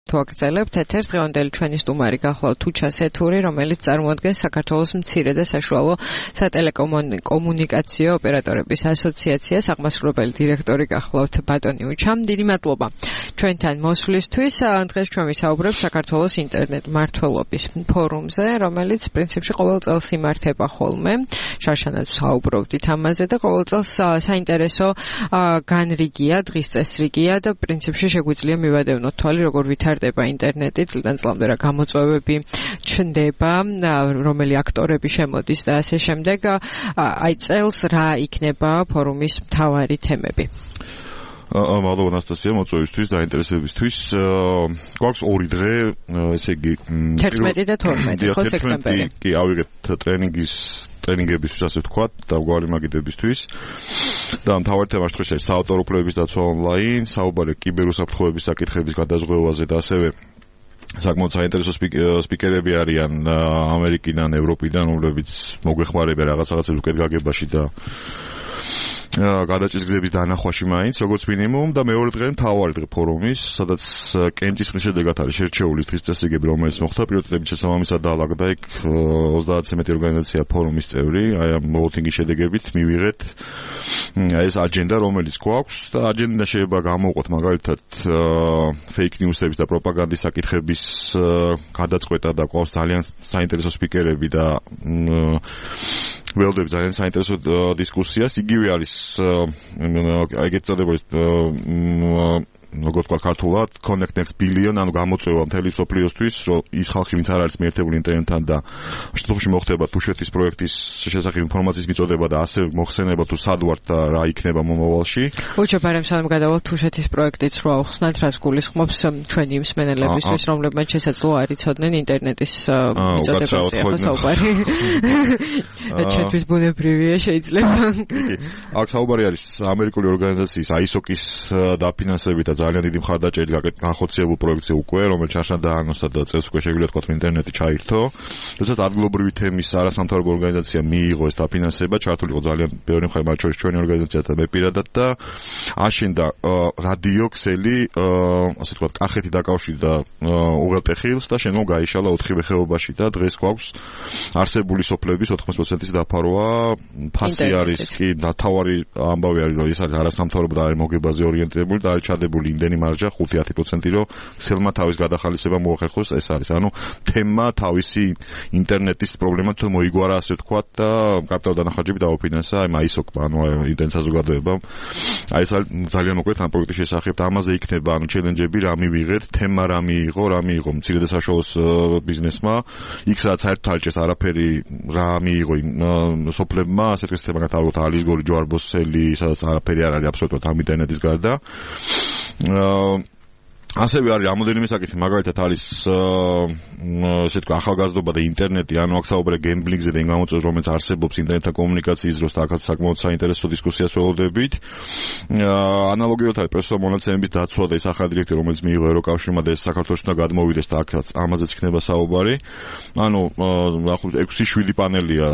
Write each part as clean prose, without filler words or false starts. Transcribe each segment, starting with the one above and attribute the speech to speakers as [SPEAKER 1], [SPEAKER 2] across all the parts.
[SPEAKER 1] თუ აგრძელებთ ეთერს, დღევანდელი ჩვენი სტუმარი გახლავთ თუჩა სეთური, რომელიც წარმოადგენს საქართველოს მცირე და საშუალო სატელეკომუნიკაციო ოპერატორების ასოციაციას, აღმასრულებელი დირექტორი გახლავთ ბატონი უჩა. დიდი მადლობა ჩვენთან მოსვლისთვის. დღეს ჩვენ ვისაუბრებთ საქართველოს ინტერნეტ მმართველობის ფორუმზე, რომელიც პრინციპში ყოველ წელს იმართება ხოლმე. შარშანაც ვსაუბრობდით ამაზე და ყოველ წელს საინტერესო განრიგია, დღის წესრიგია და პრინციპში შეგვიძლია მივადევნოთ თვალი, როგორ ვითარდება ინტერნეტი წლიდან წლამდე, რა გამოწვევები ჩნდება, რომელი აქტორები შემოდის და ასე შემდეგ. აი წელს რა იქნება ფორუმის მთავარი თემები?
[SPEAKER 2] მადლობა ნასტასია მოწვევისთვის და ინტერესებისთვის. გვაქვს 2 დღე, ესე იგი
[SPEAKER 1] 11 და 12 ხო სექტემბერი.
[SPEAKER 2] კი ავიღეთ ტრენინგებისთვის, ასე ვთქვათ, დამგვარი მაგიდებისთვის. და მთავარი თემა დღეს არის საავტორო უფლებების დაცვა ონლაინ, საუბარი კიბერუსაფრთხოების საკითხების გადაზღვევაზე და ასევე საკმაოდ საინტერესო სპიკერები არიან ამერიკიდან, ევროპიდან, რომლებიც მოგვეხმარებიან რაღაცას უკეთ გაგებაში და გადაჭრის გზების დანახვაში მაინც, როგორც მინიმუმ და მეორე დღე მთავარი დღე ფორუმის, სადაც კენჭის ხმის შედეგად არის შერჩეული დღის წესრიგები, რომელიც მოხდა პრიორიტეტების შესაბამისად დაალაგდა იქ 30-ზე მეტი ორგანიზაცია ფორუმის წევრი, აი ამ ვოთინგის შედეგებით მივიღეთ ეს აჯენდა, რომელიც გვაქვს და აჯენდა შეიძლება გამოვყოთ მაგალითად fake news-ების და პროპაგანდის საკითხების გადაწყვეტა და გვაქვს ძალიან საინტერესო სპიკერები და ველოდები ძალიან საინტერესო დისკუსიას. იგივე არის ეგეთ წოდებული როგორც თქვა ქართულად Connect Next Billion, ანუ გამოწვევა მთელი მსოფლიოსთვის, რომ ის ხალხი, ვინც არ არის მიერთებული ინტერნეტთან და შემთხვევაში მოხდება თუშეთის პროექტის შესახებ ინფორმაციის მიწოდება და ასე მოხსენება თუ სად ვართ და რა იქნება მომავალში.
[SPEAKER 1] უჩა ბარემ სანამ გადავალთ თუშეთის პროექტიც რო ავხსნათ, რას გულისხმობს ჩვენი მსმენელებისთვის, რომლებმაც შესაძლოა არ იცოდნენ ინტერნეტის მიწოდებაზე ხო საუბარი. ჩვენთვის ბუნებრივია შეიძლება.
[SPEAKER 2] აქ საუბარი არის ამერიკული ორგანიზაციის ISOC-ის დაფინანსებით და ძალიან დიდი მხარდაჭერით განხორციელებულ პროექტზე უკვე, რომელიც აშანდაანოსა და წელს უკვე შეგვიძლია თქვა, რომ ინტერნეტი ჩაირთო. როდესაც ადგილობრივი თემის არასამთავრობო ორგანიზაცია მიიღო ეს დაფინანსება, ჩართული იყო ძალიან ბევრი მხარე, მათ შორის ჩვენი ორგანიზაცია და მე პირადად და აშენდა რადიო ქსელი, ასე ვთქვათ, კახეთი დაკავშირდა უღელტეხილს და შემდგომ გაიშალა 4 ხეობაში და დღეს გვაქვს არსებული სოფლების 80%-ის დაფარვა. ფასი არის კი თავარი ამბავი არის, რომ ეს არის არასამთავრობო და არის მოგებაზე ორიენტირებული და არის ჩადებული იმდენი მარჯა 5-10%, რომ ქსელმა თავის გადახალისება მოახერხოს. ეს არის, ანუ თემა თავისი ინტერნეტის პრობლემა თუ მოიგوارა, ასე ვთქვათ და კაპიტალ დანახარჯები დაუფინანსა აი ISOC-მა, ანუ ინტერნეტ საზოგადოებამ. აი ეს ძალიან მოკლედ ამ პროექტის შესახებ და ამაზე იქნება, ანუ ჩელენჯები რა მივიღეთ, თემა რა მიიღო მცირე და საშუალო ბიზნესმა, იქ სადაც საერთოდ არ ჭერს არაფერი რა მიიღო სოფლებმა, ასე თქვით თემა გათავოთ ალიგორი ჯვარბოსელი, სადაც არაფერი არ არის აბსოლუტურად ამ ინტერნეტის გარდა. ასევე არის რამოდენიმე საკითხი, მაგალითად არის ესე თქვა ახალგაზრდობა და ინტერნეტი, ანუ აქ საუბარია გემბლინგზე და იმ გამოწვევებზე, რომელიც არსებობს ინტერნეტთან კომუნიკაციის დროს და აქაც საკმაოდ საინტერესო დისკუსიას ველოდებით. ანალოგიურად არის პრესო მონაცემების დაცვა და ის ახალი დირექტივა, რომელიც მიიღო ევროკავშირმა და ეს საქართველოს უნდა გადმოვიდეს და აქაც ამაზეც იქნება საუბარი. ანუ 6-7 პანელია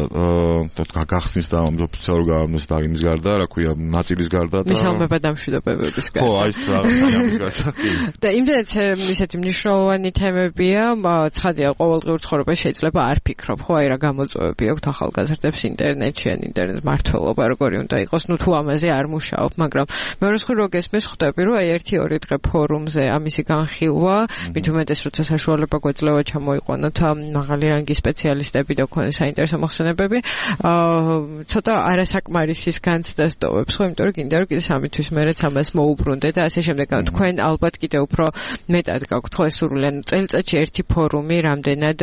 [SPEAKER 2] გახსნის და ოფიციალურ გამოსს და იმის გარდა, რა ქვია, ნაწილის გარდა და
[SPEAKER 1] მისალმება და მშვიდობებების გარდა.
[SPEAKER 2] ხო, აი ეს ამის გარდა.
[SPEAKER 1] და იმდენად ისეთი მნიშვნელოვანი თემებია, ცხადია, ყოველდღიურ ცხოვრებაში შეიძლება არ ფიქრობ, ხო, აი რა გამოწვევები აქვს ახალგაზრდებს ინტერნეტში, ან ინტერნეტ მართლობა როგორი უნდა იყოს, ნუ თუ ამაზე არ მუშაობ, მაგრამ მეორე მხრივ რო გესმის, ხვდები, რომ აი 1-2 დღე ფორუმზე ამისი განხილვა, მით უმეტეს როცა საშუალება გვეძლევა ჩამოიყვანოთ მაღალი რანგის სპეციალისტები და ქონდეს საინტერესო მოხსენებები, ცოტა არასაკმარისის განცდას ტოვებს, ხო, იმიტომ რომ კიდევ სამი თვის მერეც ამას მოუბრუნდე და ასე შემდეგ. თქვენ ალბათ კიდევ უფრო მეტად გაქვთ ხო ეს სურვილი, ანუ წელიწადში ერთი ფორუმი რამდენად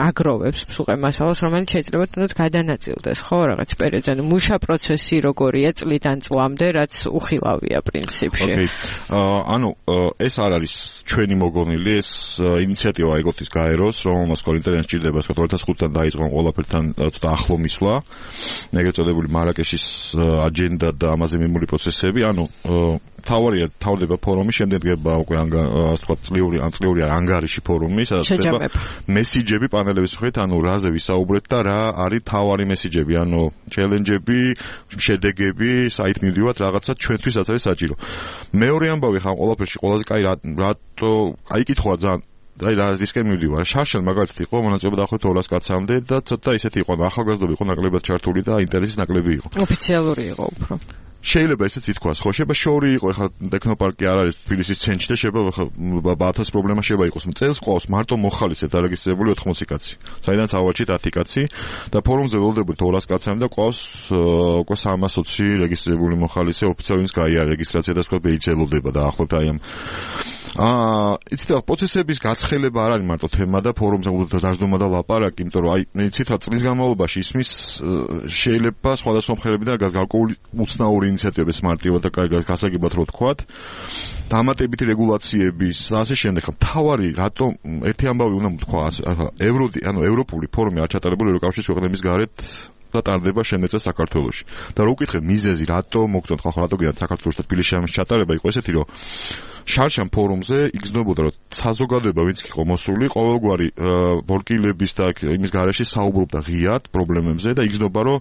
[SPEAKER 1] აგროვებს მსუყე მასალას, რომელიც შეიძლება თუნდაც გადანაწილდეს, ხო, რაღაც პერიოდზე, ანუ მუშა პროცესი როგორია წლიდან წლამდე, რაც უხილავია პრინციპში.
[SPEAKER 2] ანუ ეს არ არის ჩვენი მოგონილი, ეს ინიციატივა ეგოთის გაეროს, რომელმაც ინტერნეტი სჭირდება 2005-დან დაიწყო ყველაფერთან ცოტა ახლო მისვლა, ეგრეთ წოდებული მარაკეშის აჯენდა და ამაზე მიმული პროცესები, ანუ თავდება ფორუმი, შემდეგ დგება უკვე ასე ვთქვათ, წლიური ანგარიში ფორუმი, სადაც ხდება მესიჯები პანელების მხრივ, ანუ რაზე ვისაუბრეთ და რა არის თავარი მესიჯები, ანუ ჩელენჯები, შედეგები, საით მივდივართ, რაღაცა ჩვენთვის რაც არის საჭირო. მეორე ამბავი ხა ყველაფერში ყველაზე კაი რატო აი კითხვა ძალიან აი რა რისკი მივდივარ. შარშან მაგალითად იყო მონაწილეობა დაახლოებით 200 კაცამდე და ცოტა ისეთი იყო, ახალგაზრდები იყო ნაკლებად ჩართული და ინტერესის ნაკლები იყო.
[SPEAKER 1] ოფიციალური იყო უფრო.
[SPEAKER 2] შეიძლება ესეც ითქვას, ხო, შეიძლება შორი იყო, ეხლა ტექნოპარკი არ არის თბილისის ცენტრში და შეიძლება ბათას პრობლემა შეიძლება იყოს. წელს ყავს მარტო მოხალისედ დარეგისტრირებული 80 კაცი. საიდანაც ავაჩით 10 კაცი და ფორუმზე ველოდებოდ 200 კაცამდე და ყავს უკვე 320 რეგისტრირებული მოხალისე ოფიციალურს გაიარა რეგისტრაცია და სხვა შეიძლება დაახლოებით აი ამ იცით რა პროცესების გაცხელება არ არის მარტო თემა და ფორუმზე დაждომა და ლაპარაკი, იმიტომ რომ აი იცით რა წლის განმავლობაში ისმის შეიძლება სხვადასხვა მხარეებიდან გარკვეული უცნაური ინიციატივების მარტივად და გასაგებად რო თქვათ, დამატებითი რეგულაციების და ასე შემდეგ. თავარი რატომ ერთი ამბავი უნდა თქვა, ანუ ევროპული ფორუმი არ ჩატარებული ევროკავშირის ქვეყნების გარეთ და ტარდება შემეწა საქართველოში. და რო უკითხეთ მიზეზი, რატომ მოგწონთ ხალხო, რატო გინდათ საქართველოს და თბილისში ამის ჩატარება, იყო ესეთი, რომ შარშან ფორუმზე იგრძნობოდა, რომ საზოგადოება ვინც იყო მოსული, ყოველგვარი ბორკილების და იმის გარეშე საუბრობდა ღიად პრობლემებზე და იგრძნობა, რომ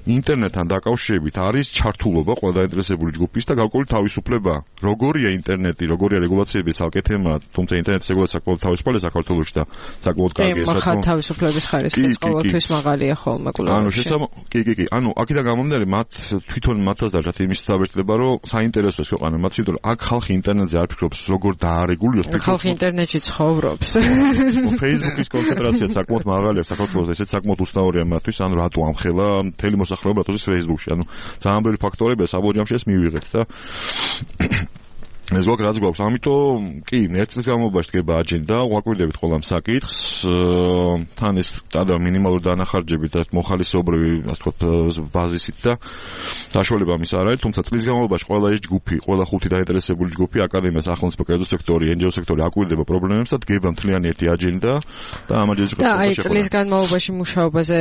[SPEAKER 2] ინტერნეტთან დაკავშირებით არის ჩართულობა ყველა დაინტერესებული ჯგუფის და გარკვეული თავისუფლება. როგორია ინტერნეტი, როგორია რეგულაციები ცალკე თემა, თუმცა ინტერნეტის რეგულაცია საკმაოდ თავისუფალია საქართველოში და საკმაოდ კარგია.
[SPEAKER 1] მაგრამ თავისუფლების ხარისხიც ყოველთვის მაღალია ხოლმე კულტურაში.
[SPEAKER 2] კი. ანუ აქედან გამომდინარე, მათ თვითონ მათაც დაჭათ იმის საბჭოება, რომ საინტერესოა ქვეყანა მათ, იმიტომ რომ აქ ხალხი ინტერნეტზე არ ფიქრობს, როგორ დაარეგულიროს.
[SPEAKER 1] ხალხი ინტერნეტში ცხოვრობს.
[SPEAKER 2] Facebook-ის კონცენტრაცია საკმაოდ მაღალია საქართველოს, ესეც საკმაოდ უცნაურია მათთვის, ანუ რატო ამხელა მთელი მოსახლეობა რატო ის Facebook-ში, ანუ ძალიან ბევრი ფაქტორებია საბოლოო ჯამში ეს მივიღეთ და ეს რაც გვაქვს, ამიტომ კი, ერთ წლის განმავლობაში დგება აჯენდა, ვაკვირდებით ყველა საკითხს, თან ეს სტანდარტ მინიმალური დანახარჯებით და მოხალისეობრივი, ასე ვთქვათ, ბაზისით და საშუალება ამის არ არის, თუმცა წლის განმავლობაში ყველა ეს ჯგუფი, ყველა ხუთი დაინტერესებული ჯგუფი, აკადემია, სახელმწიფო კერძო სექტორი, NGO სექტორი აკვირდება პრობლემებს და დგება მთლიანი ერთი აჯენდა და ამ აჯენდაში
[SPEAKER 1] და აი წლის განმავლობაში მუშაობაზე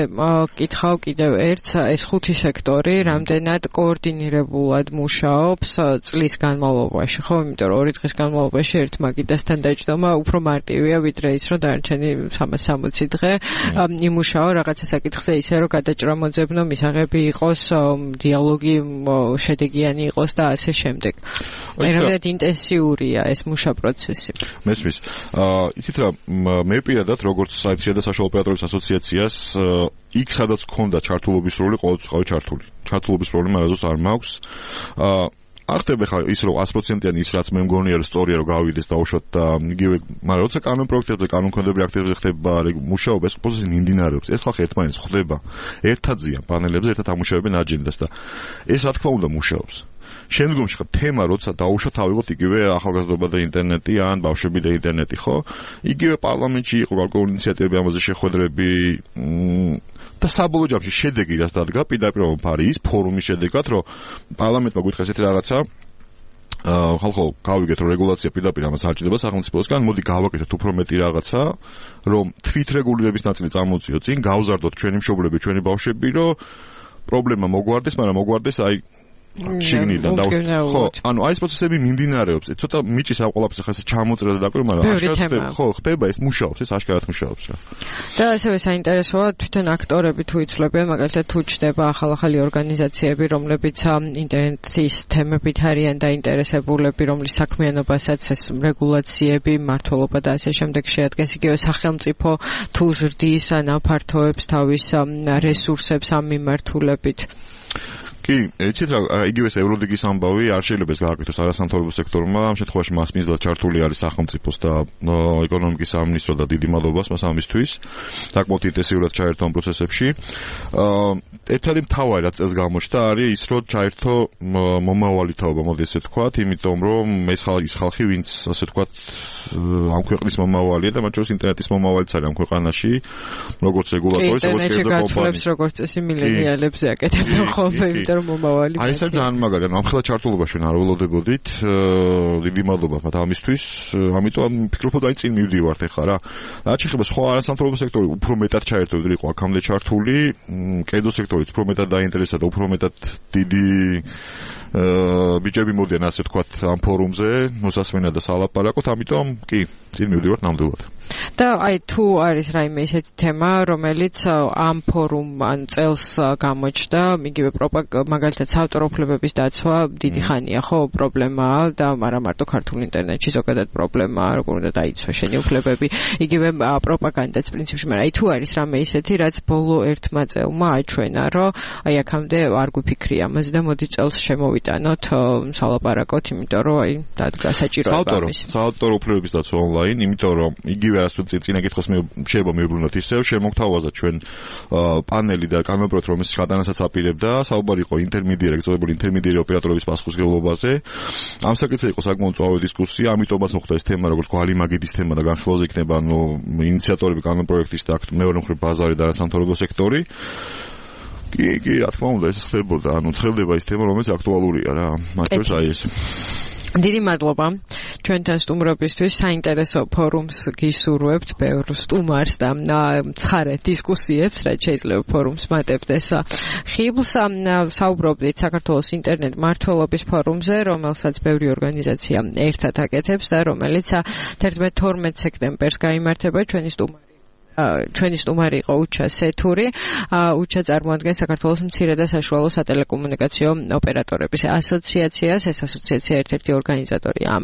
[SPEAKER 1] კითხავ კიდევ ერთს, ეს ხუთი სექტორი რამდენად კოორდინირებულად მუშაობს წლის განმავლობაში, ხო? იმიტომ რომ 2 დღის განმავლობაში ერთ მაგიდასთან დაჯდომა უფრო მარტივია ვიდრე ის რომ დარჩენი 360 დღე იმუშაო რაღაცა საკითხზე ისე რომ გადაჭრა მოძებნო მისაღები იყოს დიალოგი შედეგიანი იყოს და ასე შემდეგ. ერთად ინტენსიურია ეს მუშა პროცესი.
[SPEAKER 2] მესმის. იცით რა მე პირადად როგორც საიტსია და საშუალო ოპერატორების ასოციაციას იქ სადაც გქონდა ჩართულობის როლი ყოველთვის ყავი ჩართული. ჩართულობის პრობლემა რაზეც არ მაქვს. არ ხდება ხა ის რომ 100%-იანი ის რაც მე მგონია რომ სწორია რომ გავიდეს დაუშვათ და იგივე, მაგრამ როცა კანონ პროექტებზე, კანონ კონდობრივ აქტებზე ხდება მუშაობა, ეს პროცესი მიმდინარეობს. ეს ხალხი ერთმანეთს ხვდება, ერთად ზიან პანელებზე, ერთად ამუშავებენ აჯენდას და ეს რა თქმა უნდა მუშაობს. შემდგომში ხა თემა როცა დაუშვათ ავიღოთ იგივე ახალგაზრდობა და ინტერნეტი ან ბავშვები და ინტერნეტი, ხო? იგივე პარლამენტში იყო გარკვეული ინიციატივები ამაზე შეხვედრები და საბოლოო ჯამში შედეგი რაც დადგა პირდაპირ არის ფორუმის შედეგად, რომ პარლამენტმა გითხრა ესეთი რაღაცა ხალხო გავიგეთ რომ რეგულაცია პირდაპირ ამას არ ჭირდება სახელმწიფოსგან, მოდი გავაკეთოთ უფრო მეტი რაღაცა, რომ თვითრეგულირების ნაწილი წამოწიოთ წინ, გავზარდოთ ჩვენი მშობლები, ჩვენი ბავშვები, რომ პრობლემა მოგვარდეს, მაგრამ მოგვარდეს აი შიგნიდან და ხო, ანუ აი ეს პროცესები მიმდინარეობს. ცოტა მიჭის ამ ყველაფერს ხა ეს ჩამოწერა და დაკვირვა, მაგრამ აშკარად ხო ხდება, ეს მუშაობს, ეს აშკარად მუშაობს რა.
[SPEAKER 1] და ასევე საინტერესოა თვითონ აქტორები თუ იცვლებიან, მაგალითად თუ ჩდება ახალ-ახალი ორგანიზაციები, რომლებიც ინტერნეტის თემებით არიან დაინტერესებულები, რომლის საქმიანობასაც ეს რეგულაციები, მმართველობა და ასე შემდეგ შეადგენს, იგივე სახელმწიფო თუ ზრდის ან აფართოებს თავის რესურსებს ამ მიმართულებით.
[SPEAKER 2] კი, იცით რა, იგივე ეს ევროლიგის ამბავი არ შეიძლება ეს გააკეთოს არასამთავრობო სექტორმა, ამ შემთხვევაში მას მიზნად ჩართული არის სახელმწიფოს და ეკონომიკის სამინისტრო და დიდი მადლობას მას ამისთვის. საკმაოდ ინტენსიურად ჩაერთო ამ პროცესებში. ერთადი მთავარი რაც წელს გამოჩნდა არის ის, რომ ჩაერთო მომავალი თაობა, მოდი ესე ვთქვათ, იმიტომ რომ ეს ხალხი, ვინც ასე ვთქვათ, ამ ქვეყნის მომავალია და მათ შორის ინტერნეტის მომავალიც არის ამ ქვეყანაში, როგორც რეგულატორი, როგორც
[SPEAKER 1] ინტერნეტში გათვლებს როგორც წესი მილენიალებზე აკეთებენ ხოლმე, იმიტომ რომ მომავალი
[SPEAKER 2] აი ეს ძალიან მაგარია, ამხელა ჩართულობაში არ ველოდებოდით. დიდი მადლობა მათ ამისთვის. ამიტომ ვფიქრობ, აი წინ მივდივართ ახლა რა. რაც შეეხება სხვა არასამთავრობო სექტორი, უფრო მეტად ჩაერთო ვიდრე იყო აქამდე ჩართული. კედო სექტორიც უფრო მეტად დაინტერესდა და უფრო მეტად დიდი ბიჭები მოდიან ასე ვთქვათ ამ ფორუმზე, მოსასმენა და სალაპარაკოთ, ამიტომ კი, წინ მივდივართ ნამდვილად.
[SPEAKER 1] და აი თუ არის რაიმე ისეთი თემა, რომელიც ამ ფორუმ ან წელს გამოჩნდა, იგივე მაგალითად საავტორო უფლებების დაცვა დიდი ხანია ხო პრობლემაა და არა მარტო ქართულ ინტერნეტში ზოგადად პრობლემაა, როგორ უნდა დაიცვა შენი უფლებები, იგივე პროპაგანდაც პრინციპში, მაგრამ აი თუ არის რამე ისეთი, რაც ბოლო ერთმა წელმა აჩვენა, რომ აი აქამდე არ გვიფიქრი ამაზე და მოდი წელს შემოვიტანოთ სალაპარაკოთ, იმიტომ რომ აი დადგა საჭიროება ამის.
[SPEAKER 2] საავტორო უფლებების დაცვა ონლაინ, იმიტომ რომ იგივე რაც წინა კითხოს შეიძლება მივუბრუნოთ ისევ, შემოგთავაზა ჩვენ პანელი და კანონპროექტი, რომელიც გადანასაც აპირებდა, საუბარი იყო ეგწოდებული ინტერმედიარი ოპერატორების პასუხისმგებლობაზე. ამ საკითხზე იყო საკმაოდ მწვავე დისკუსია, ამიტომაც მოხდა ეს თემა, როგორც გვალი მაგიდის თემა და განხილვაზე იქნება, ინიციატორები კანონპროექტის და მეორე მხრივ ბაზარი და არასამთავრობო სექტორი. კი, რა თქმა უნდა, ეს ხდებოდა, ცხელდება ის თემა, რომელიც აქტუალურია რა. მათ შორის აი ეს.
[SPEAKER 1] დიდი მადლობა ჩვენთან სტუმრობისთვის, საინტერესო ფორუმს გისურვებთ, ბევრ სტუმარს და ცხარე დისკუსიებს, რაც შეიძლება ფორუმს მატებდეს ხიბლს. საუბრობდით საქართველოს ინტერნეტ მმართველობის ფორუმზე, რომელსაც ბევრი ორგანიზაცია ერთად აკეთებს და რომელიც 11-12 სექტემბერს გაიმართება. ჩვენი სტუმარი იყო უჩა სეთური. უჩა წარმოადგენს საქართველოს მცირე და საშუალო სატელეკომუნიკაციო ოპერატორების ასოციაციას. ეს ასოციაცია ერთ-ერთი ორგანიზატორი ამ